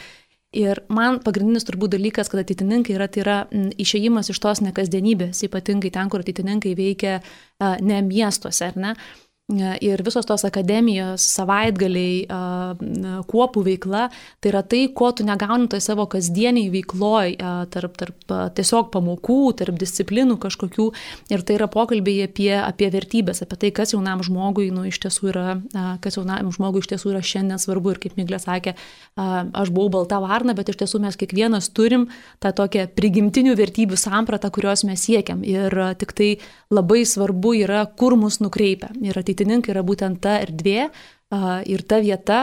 ir man pagrindinis turbūt dalykas, kad ateitininkai yra, tai yra m, išėjimas iš tos nekasdienybės, ypatingai ten, kur ateitininkai veikia a, ne miestuose, ar ne? ir visos tos akademijos, savaitgaliai, kuopų veikla, tai yra tai, ko tu negauni toj savo kasdieniai veikloj, tarp, tarp tiesiog pamokų, tarp disciplinų kažkokių. Ir tai yra pokalbiai apie, apie vertybės, apie tai, kas jaunam žmogui, nu, iš tiesų yra, kas jaunam žmogui iš tiesų yra šiandien svarbu. Ir kaip Miglė sakė, aš buvau balta varna, bet iš tiesų mes kiekvienas turim tą tokią prigimtinių vertybių sampratą, kurios mes siekiam. Ir tik tai labai svarbu yra, kur mus nukreipia. Ir ateitininkai yra būtent ta erdvė ir ta vieta,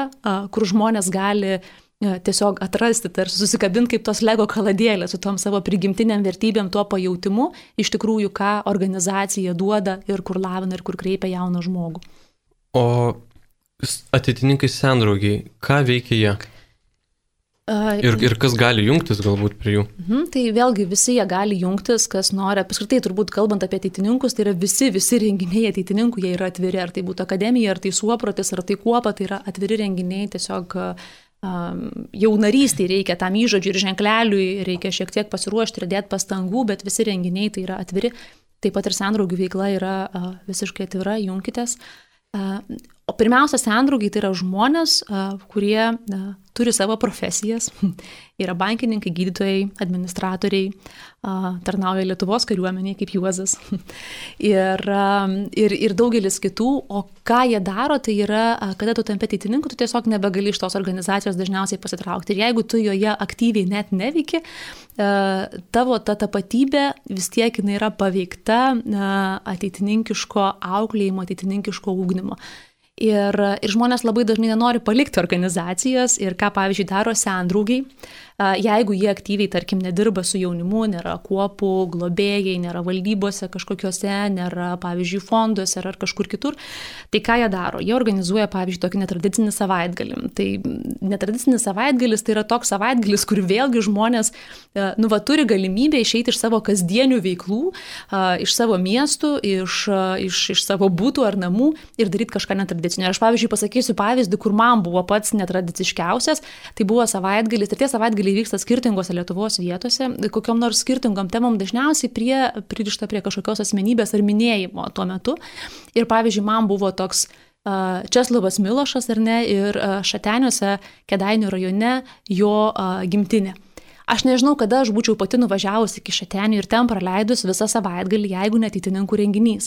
kur žmonės gali tiesiog atrasti, tarsi susikabinti kaip tos Lego kaladėlės su tom savo prigimtiniam vertybėm, tuo pajautimu, iš tikrųjų, ką organizacija duoda ir kur lavina ir kur kreipia jauną žmogų. O ateitininkai sendraugiai, ką veikia jie? Ir, ir kas gali jungtis galbūt prie jų? Mhm, tai vėlgi visi jie gali jungtis, kas nori. Apskritai, turbūt kalbant apie ateitininkus, tai yra visi, visi renginiai ateitininkų, jie yra atviri. Ar tai būtų akademija, ar tai suoprotis, ar tai kuopa, tai yra atviri renginiai. Tiesiog um, jau narystį reikia tam įžodžiui ir ženkleliui, reikia šiek tiek pasiruošti ir dėti pastangų, bet visi renginiai tai yra atviri. Taip pat ir sendraugių veikla yra uh, visiškai atvira, junkitės. Uh, o pirmiausia, sendraugiai tai yra žmonės, uh, kurie uh, turi savo profesijas, yra bankininkai, gydytojai, administratoriai, tarnauja Lietuvos kariuomeniai kaip Juozas ir, ir, ir daugelis kitų. O ką jie daro, tai yra, kada tu tampi ateitininku, tu tiesiog nebegali iš tos organizacijos dažniausiai pasitraukti. Ir jeigu tu joje aktyviai net neveiki, tavo ta tapatybė vis tiek jinai yra paveikta ateitininkiško auklėjimo, ateitininkiško ugdymo. Ir, ir žmonės labai dažnai nenori palikti organizacijos ir ką, pavyzdžiui, daro sendraugiai, jeigu jie aktyviai, tarkim, nedirba su jaunimu, nėra kuopų, globėjai, nėra valdybose kažkokiuose, nėra, pavyzdžiui, fonduose ar kažkur kitur, tai ką jie daro? Jie organizuoja, pavyzdžiui, tokį netradicinį savaitgalį. Tai netradicinis savaitgalis tai yra toks savaitgalis, kur vėlgi žmonės, nu, va, turi galimybę išeiti iš savo kasdienių veiklų, iš savo miestų, iš, iš, iš savo būtų ar namų ir daryti kažką netradicinio. Ir aš, pavyzdžiui, pasakysiu pavyzdį, kur man buvo pats netradiciškiausias, tai buvo savaitgalis, ir tie savaitgaliai vyksta skirtingose Lietuvos vietose, kokiom nors skirtingom temom, dažniausiai prie, pririšta prie kažkokios asmenybės ar minėjimo tuo metu. Ir pavyzdžiui, man buvo toks uh, Česlovas Milošas, ar ne, ir uh, Šateniuose, Kėdainių rajone, jo uh, gimtinė. Aš nežinau, kada aš būčiau pati nuvažiavusi iki Šatenių ir ten praleidus visą savaitgalį, jeigu ne ateitininkų renginys.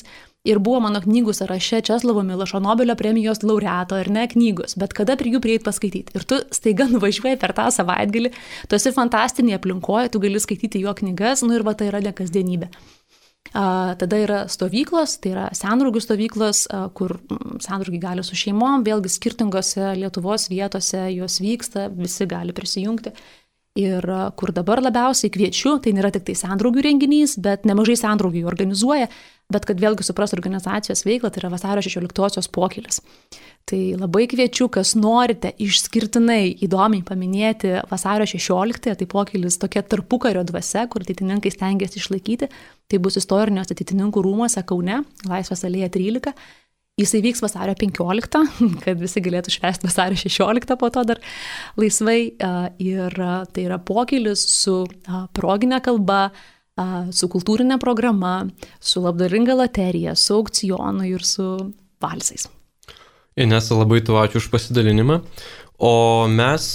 Ir buvo mano knygų sąraše Česlovo Milošo Nobelio premijos laureato ar ne knygos, bet kada prie jų prieit paskaityti. Ir tu staiga nuvažiuoji per tą savaitgalį, tu esi fantastinėje aplinkoje, tu gali skaityti jo knygas, nu ir va tai yra ne kasdienybė. A, tada yra stovyklos, tai yra sendraugių stovyklos, a, kur sendraugiai gali su šeimom, vėlgi skirtingose Lietuvos vietose jos vyksta, visi gali prisijungti. Ir kur dabar labiausiai kviečiu, tai nėra tik tai sendraugių renginys, bet nemažai sendraugių organizuoja, bet kad vėlgi supras organizacijos veiklą, tai yra vasario šešioliktosios pokylis. Tai labai kviečiu, kas norite išskirtinai įdomiai paminėti vasario šešioliktąją, tai pokylis tokia tarpukario dvasia, kur ateitininkai stengiasi išlaikyti, tai bus istorinės ateitininkų rūmuose Kaune, Laisvės alėja trylika. Jisai vyks vasario penkioliktą, kad visi galėtų švęsti vasario šešioliktą po to dar laisvai. Ir tai yra pokylis su proginė kalba, su kultūrinė programa, su labdaringa loterija, su aukcionu ir su valsais. Inesa, labai tau ačiū už pasidalinimą. O mes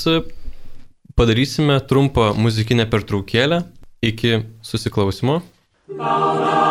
padarysime trumpą muzikinę pertraukėlę iki susiklausimo. Laudate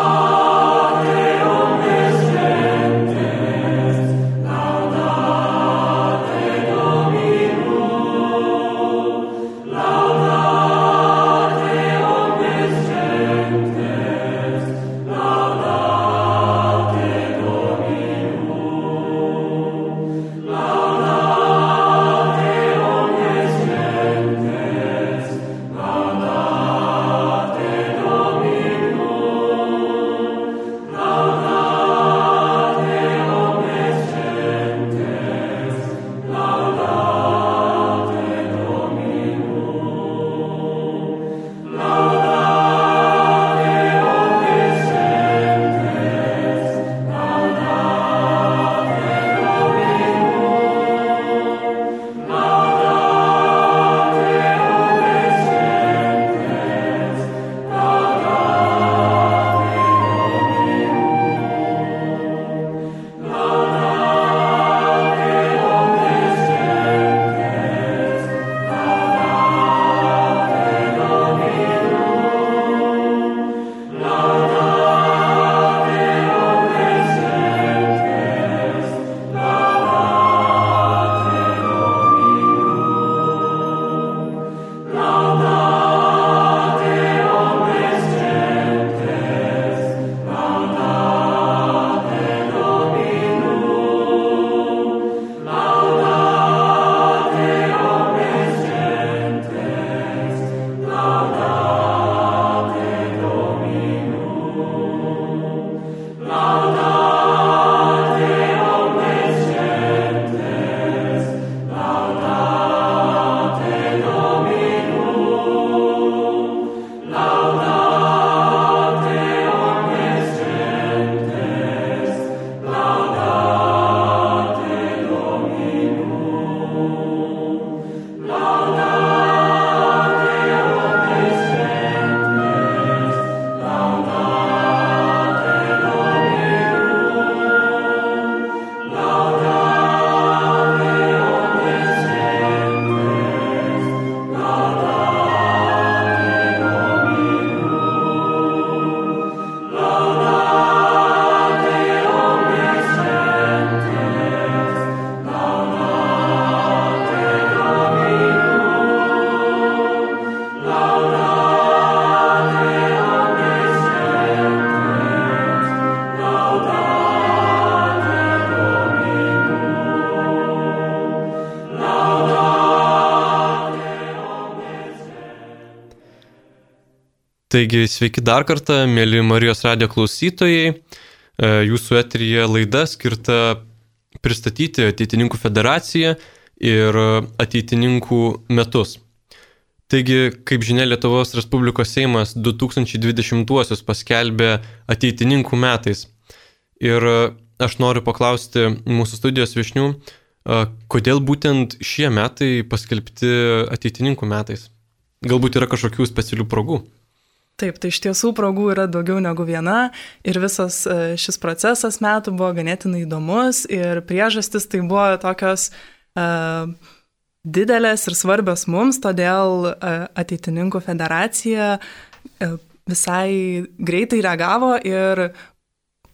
Taigi, sveiki dar kartą, mėly Marijos radijo klausytojai. Jūsų eteryje laida skirta pristatyti Ateitininkų federaciją ir Ateitininkų metus. Taigi, kaip žinia, Lietuvos Respublikos Seimas du tūkstančiai dvidešimtuosius paskelbė Ateitininkų metais. Ir aš noriu paklausti mūsų studijos viešnių, kodėl būtent šie metai paskelbti Ateitininkų metais? Galbūt yra kažkokių specialių progų? Taip, tai iš tiesų progų yra daugiau negu viena ir visas šis procesas metų buvo ganėtinai įdomus ir priežastis tai buvo tokios uh, didelės ir svarbios mums, todėl uh, Ateitininkų federacija uh, visai greitai reagavo ir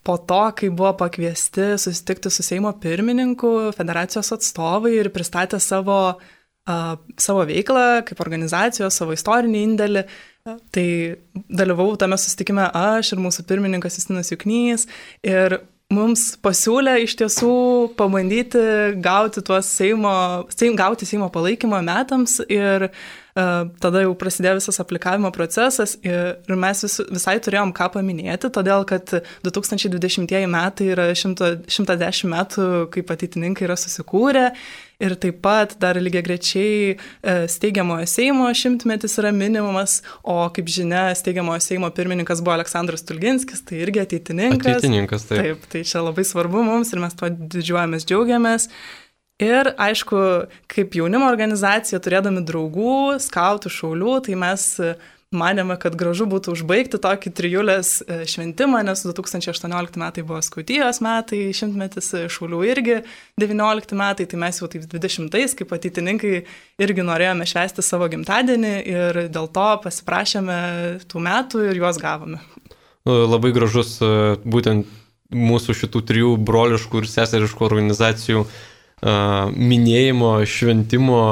po to, kai buvo pakviesti susitikti su Seimo pirmininku, federacijos atstovai ir pristatė savo, uh, savo veiklą kaip organizacijos, savo istorinį indėlį, tai dalyvavau tame susitikime aš ir mūsų pirmininkas Justinas Juknys ir mums pasiūlė iš tiesų pabandyti gauti, tuos Seimo, seim, gauti Seimo palaikymą metams ir uh, tada jau prasidėjo visas aplikavimo procesas ir, ir mes vis, visai turėjom ką paminėti, todėl kad du tūkstančiai dvidešimtieji metai yra šimtas dešimt metų, kaip ateitininkai yra susikūrę. Ir taip pat dar lygiagrečiai steigiamojo Seimo šimtmetis yra minimumas, o kaip žinia, steigiamojo Seimo pirmininkas buvo Aleksandras Stulginskis, tai irgi ateitininkas. Ateitininkas, taip. Taip, tai čia labai svarbu mums ir mes tuo didžiuojamės, džiaugiamės. Ir aišku, kaip jaunimo organizacija, turėdami draugų, skautų, šaulių, tai mes manėme, kad gražu būtų užbaigti tokį trijulės šventimą, nes du tūkstančiai aštuoniolikti metai buvo skautijos metai, šimtmetis šaulių irgi devyniolikti metai, tai mes jau taip dvidešimtais, kaip ateitininkai, irgi norėjome švęsti savo gimtadienį ir dėl to pasiprašėme tų metų ir juos gavome. Labai gražus būtent mūsų šitų trijų broliškų ir seseriškų organizacijų minėjimo, šventimo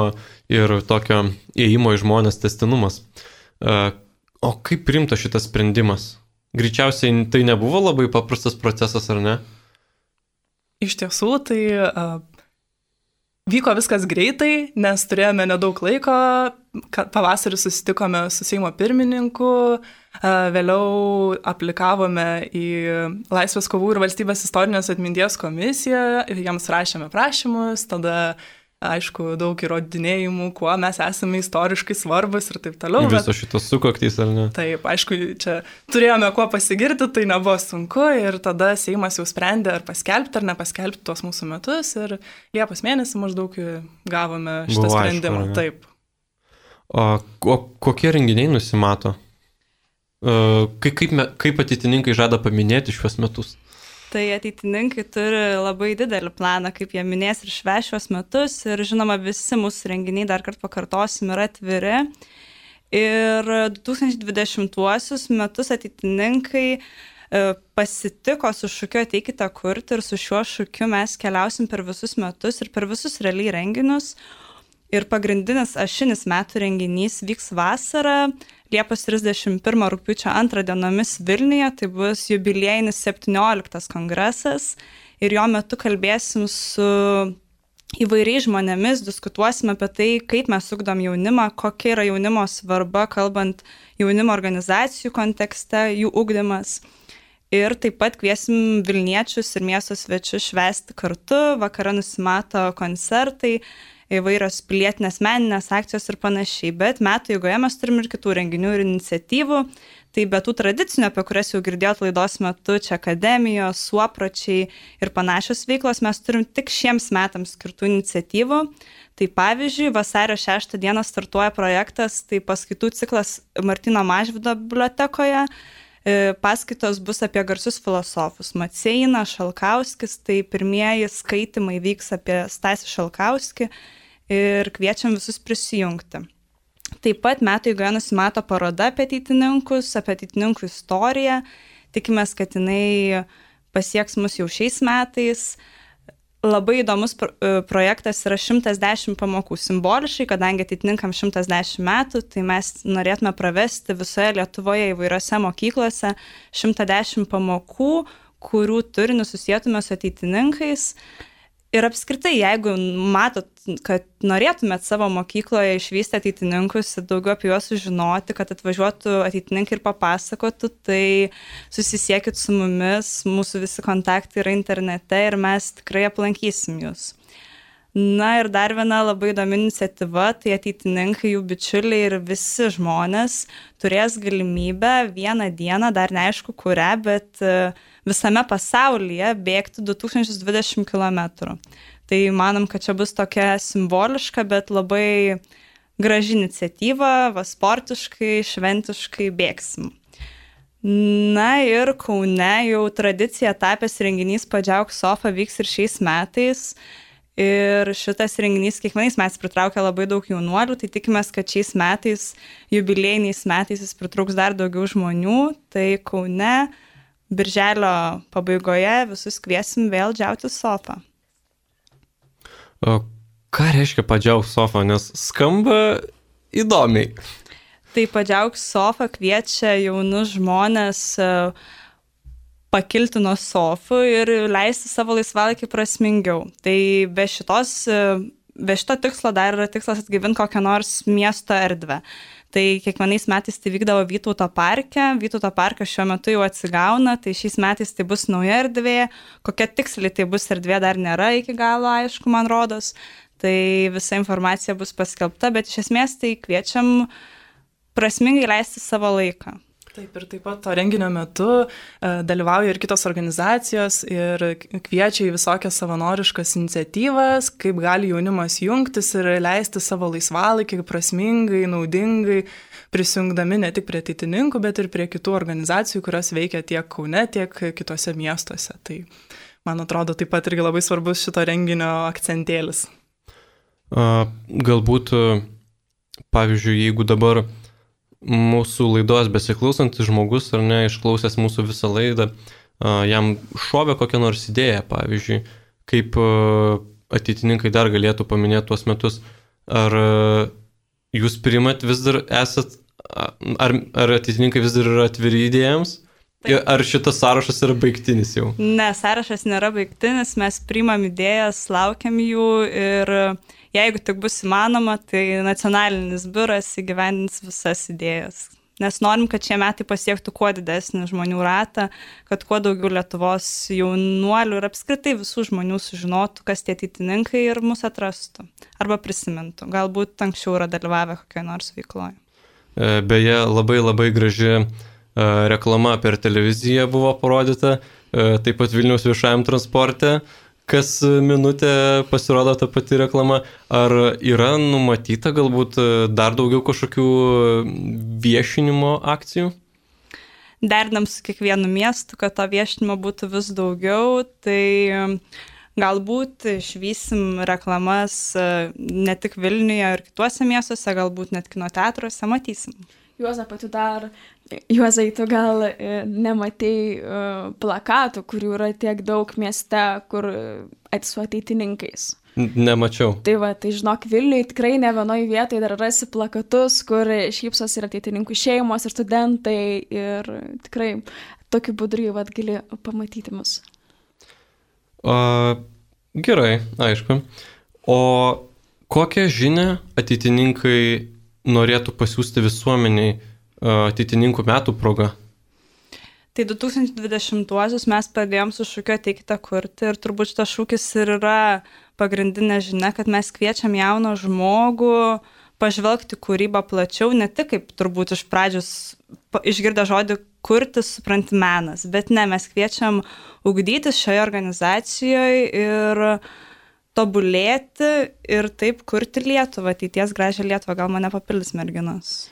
ir tokio ėjimo į žmonės tęstinumas. O kaip priimta šitas sprendimas? Greičiausiai tai nebuvo labai paprastas procesas, ar ne? Iš tiesų, tai uh, vyko viskas greitai, nes turėjome nedaug laiko, pavasarį susitikome su Seimo pirmininku, uh, vėliau aplikavome į Laisvės kovų ir valstybės istorinės atminties komisiją, jiems rašėme prašymus, tada aišku, daug įrodinėjimų, kuo mes esame istoriškai svarbus ir taip toliau. Viso bet... šitos sukaktys, ar ne? Taip, aišku, čia turėjome kuo pasigirti, tai nebuvo sunku ir tada Seimas jau sprendė, ar paskelbti ar nepaskelbti tuos mūsų metus ir Liepos mėnesį maždaug gavome šitą Buvo sprendimą. Aišku, taip. O, o kokie renginiai nusimato? Kaip, kaip, kaip ateitininkai žada paminėti šiuos metus? Tai ateitininkai turi labai didelį planą, kaip jie minės ir švęs šios metus ir žinoma visi mūsų renginiai, dar kartą pakartosim, yra atviri. Ir du tūkstančiai dvidešimtuosius metus ateitininkai pasitiko su šūkiu Ateikite kurti ir su šiuo šūkiu mes keliausim per visus metus ir per visus realiai renginius. Ir pagrindinis ašinis metų renginys vyks vasarą, Liepos trisdešimt pirmą rugpjūčio antrą dienomis Vilniuje, tai bus jubiliejinis septynioliktas kongresas ir jo metu kalbėsim su įvairiais žmonėmis, diskutuosim apie tai, kaip mes ugdom jaunimą, kokia yra jaunimo svarba, kalbant jaunimo organizacijų kontekste, jų ugdymas. Ir taip pat kviesim Vilniečius ir miesto svečius švęsti kartu, vakare nusimato koncertai, įvairios pilietinės meninės akcijos ir panašiai, bet metų eigoje mes turim ir kitų renginių ir iniciatyvų, tai be tų tradicinių, apie kurias jau girdėjot laidos metu, čia akademijos, suopračiai ir panašios veiklos, mes turim tik šiems metams skirtų iniciatyvų. Tai pavyzdžiui, vasario šeštą dieną startuoja projektas, tai paskaitų ciklas Martyno Mažvydo bibliotekoje, paskaitos bus apie garsius filosofus Maceiną, Šalkauskis, tai pirmieji skaitimai vyks apie Stasį Šalkauskį ir kviečiam visus prisijungti. Taip pat metų eigoje nusimato paroda apie ateitininkus, apie ateitininkų istoriją. Tikimės, kad jinai pasieks mus jau šiais metais. Labai įdomus projektas yra šimtas dešimt pamokų simboliškai, kadangi ateitininkam šimtas dešimt metų, tai mes norėtume pravesti visoje Lietuvoje įvairiose mokyklose šimtas dešimt pamokų, kurių turinį susietume su ateitininkais. Ir apskritai, jeigu matot, kad norėtumėt savo mokykloje išvysti ateitininkus ir daugiau apie juos sužinoti, kad atvažiuotų ateitininkai ir papasakotų, tai susisiekit su mumis, mūsų visi kontaktai yra internete ir mes tikrai aplankysim jūs. Na ir dar viena labai įdomi iniciatyva, tai ateitininkai, jų bičiuliai ir visi žmonės turės galimybę vieną dieną, dar neaišku kurią, bet visame pasaulyje bėgti du tūkstančiai dvidešimt kilometrų. Tai manom, kad čia bus tokia simboliška, bet labai graži iniciatyva, va sportiškai, šventiškai bėgsim. Na ir Kaune jau tradicija tapęs renginys Padžiauk Sofa vyks ir šiais metais. Ir šitas renginys kiekvienais metais pritraukia labai daug jaunuolių, tai tikimės, kad šiais metais, jubiliejiniais metais jis pritrauks dar daugiau žmonių. Tai Kaune birželio pabaigoje visus kviesim vėl džiauti sofą. O ką reiškia Padžiauk Sofa, nes skamba įdomiai? Tai Padžiauk Sofa kviečia jaunus žmonės pakilti nuo sofų ir leisti savo laisvalaikį prasmingiau. Tai be, šitos, be šito tikslo dar yra tikslas atgyvinti kokią nors miesto erdvę. Tai kiekvienais metais tai vykdavo Vytauto parke, Vytauto parkas šiuo metu jau atsigauna, tai šiais metais tai bus nauja erdvė, kokia tiksliai tai bus erdvė dar nėra iki galo, aišku, man rodos. Tai visa informacija bus paskelbta, bet iš esmės tai kviečiam prasmingai leisti savo laiką. Taip, ir taip pat to renginio metu dalyvauja ir kitos organizacijos ir kviečia į visokias savanoriškas iniciatyvas, kaip gali jaunimas jungtis ir leisti savo laisvalaikį prasmingai, naudingai, prisijungdami ne tik prie ateitininkų, bet ir prie kitų organizacijų, kurios veikia tiek Kaune, tiek kitose miestuose. Tai, man atrodo, taip pat irgi labai svarbus šito renginio akcentėlis. A, galbūt, pavyzdžiui, jeigu dabar mūsų laidos besiklausantis žmogus, ar ne, išklausęs mūsų visą laidą, jam šovė kokią nors idėją, pavyzdžiui, kaip ateitininkai dar galėtų paminėti tuos metus. Ar jūs priimat vis dar esat, ar, ar ateitininkai vis dar yra atviri idėjams? Taip. Ar šitas sąrašas yra baigtinis jau? Ne, sąrašas nėra baigtinis, mes priimam idėjas, laukiam jų ir jeigu tik bus įmanoma, tai nacionalinis biuras įgyvendins visas idėjas. Nes norim, kad šie metai pasiektų kuo didesnį žmonių ratą, kad kuo daugiau Lietuvos jaunuolių ir apskritai visų žmonių sužinotų, kas tie ateitininkai ir mus atrastų. Arba prisimintų. Galbūt anksčiau yra dalyvavę kokioje nors veikloje. Beje, labai labai graži reklama per televiziją buvo parodyta, taip pat Vilniaus viešajam transporte. Kas minutę pasirodo ta pati reklama. Ar yra numatyta galbūt dar daugiau kažkokių viešinimo akcijų? Derinam su kiekvienu miestu, kad to viešinimo būtų vis daugiau. Tai galbūt išvysim reklamas ne tik Vilniuje ir kituose miestuose, galbūt net kino teatruose, matysim. Juozapai, tu dar, Juozai, tu gal nematei uh, plakatų, kurių yra tiek daug mieste, kur su ateitininkais. Nemačiau. Tai va, tai žinok, Vilniuje tikrai ne vienoje vietoje dar rasi plakatus, kur šypsos ir ateitininkų šeimos ir studentai ir tikrai tokiu būdu va, gali pamatyti mus. O, gerai, aišku. O kokią žinią ateitininkai norėtų pasiūsti visuomeniai ateitininkų metų proga? Tai du tūkstančiai dvidešimtuosius mes pradėjom su šūkiu Ateikite kurti ir turbūt šitas šūkis ir yra pagrindinė žinia, kad mes kviečiam jauną žmogų pažvelgti kūrybą plačiau, ne tik kaip turbūt iš pradžios išgirdę žodį kurti, supranti menas, bet ne, mes kviečiam ugdytis šioje organizacijoje ir tobulėti ir taip kurti Lietuvą, ateities gražią Lietuvą. Gal mane papildys merginos?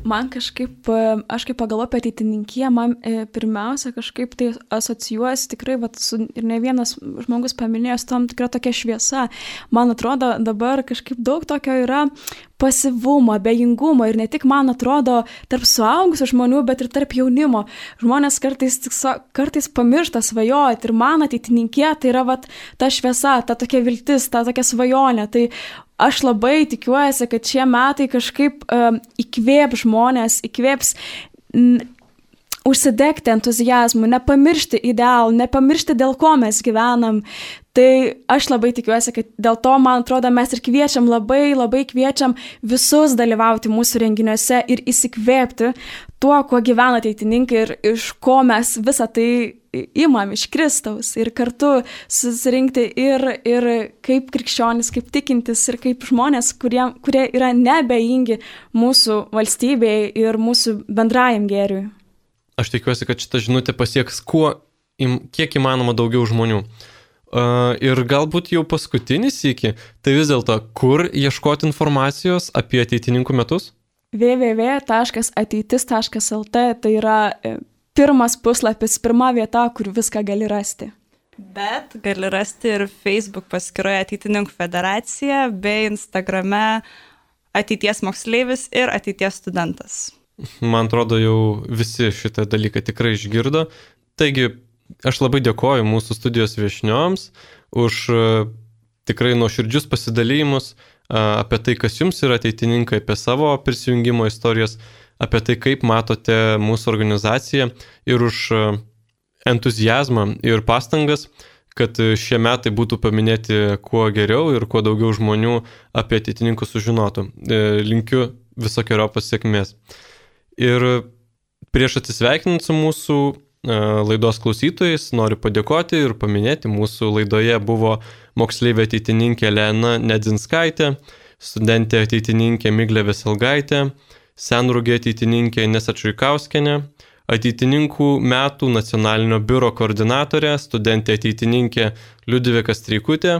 Man kažkaip, aš kaip pagalvoju apie ateitininkiją, man pirmiausia kažkaip tai asocijuosi tikrai, vat, su, ir ne vienas žmogus paminėjo, su tom tikra tokia šviesa. Man atrodo, dabar kažkaip daug tokio yra pasyvumo, abejingumo ir ne tik, man atrodo, tarp suaugusių žmonių, bet ir tarp jaunimo. Žmonės kartais, kartais pamiršta svajoti ir man ateitininkė tai yra vat, ta šviesa, ta tokia viltis, ta tokia svajonė. Tai aš labai tikiuosi, kad šie metai kažkaip um, įkvėps žmonės, įkvėps n, užsidegti entuzijazmu, nepamiršti idealų, nepamiršti, dėl ko mes gyvenam. Tai aš labai tikiuosi, kad dėl to, man atrodo, mes ir kviečiam, labai, labai kviečiam visus dalyvauti mūsų renginiuose ir įsikvėpti tuo, kuo gyvena ateitininkai ir iš ko mes visą tai imam iš Kristaus ir kartu susirinkti ir, ir kaip krikščionis, kaip tikintis ir kaip žmonės, kurie, kurie yra neabejingi mūsų valstybei ir mūsų bendrajam gėriui. Aš tikiuosi, kad šita žinutė pasieks kuo, im, kiek įmanoma daugiau žmonių. Uh, ir galbūt jau paskutinis iki, tai vis dėlto, kur ieškoti informacijos apie ateitininkų metus? w w w taškas ateitis taškas l t tai yra pirmas puslapis, pirma vieta, kur viską gali rasti. Bet gali rasti ir Facebook paskyroje Ateitininkų federacija bei Instagrame Ateities moksleivis ir Ateities studentas. Man atrodo, jau visi šitą dalyką tikrai išgirdo. Taigi, aš labai dėkoju mūsų studijos viešnioms už tikrai nuoširdžius pasidalymus apie tai, kas jums yra ateitininkai, apie savo prisijungimo istorijas, apie tai, kaip matote mūsų organizaciją ir už entuzijazmą ir pastangas, kad šie metai būtų paminėti kuo geriau ir kuo daugiau žmonių apie ateitininkus sužinotų. Linkiu visokiojopos sėkmės. Ir prieš atsisveikinant su mūsų laidos klausytojais, noriu padėkoti ir paminėti, mūsų laidoje buvo moksleivė ateitininkė Lena Nedzinskaitė, studentė ateitininkė Miglė Veselgaitė, senrūgė ateitininkė Inesa Čuikauskienė, ateitininkų metų nacionalinio biuro koordinatorė, studentė ateitininkė Liudvika Streikutė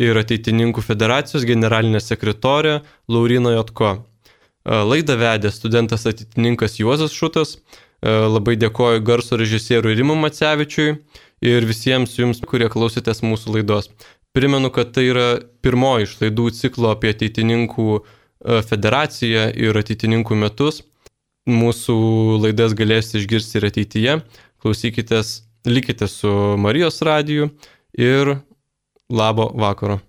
ir ateitininkų federacijos generalinė sekretorė Laurina Jotko. Laidą vedė studentas ateitininkas Juozas Šutas. Labai dėkoju garso režisieriui Rimui Macevičiui ir visiems jums, kurie klausėtės mūsų laidos. Primenu, kad tai yra pirmoji iš laidų ciklo apie ateitininkų federaciją ir ateitininkų metus. Mūsų laidas galėsite išgirsti ir ateityje. Klausykitės, likite su Marijos radiju ir labo vakaro.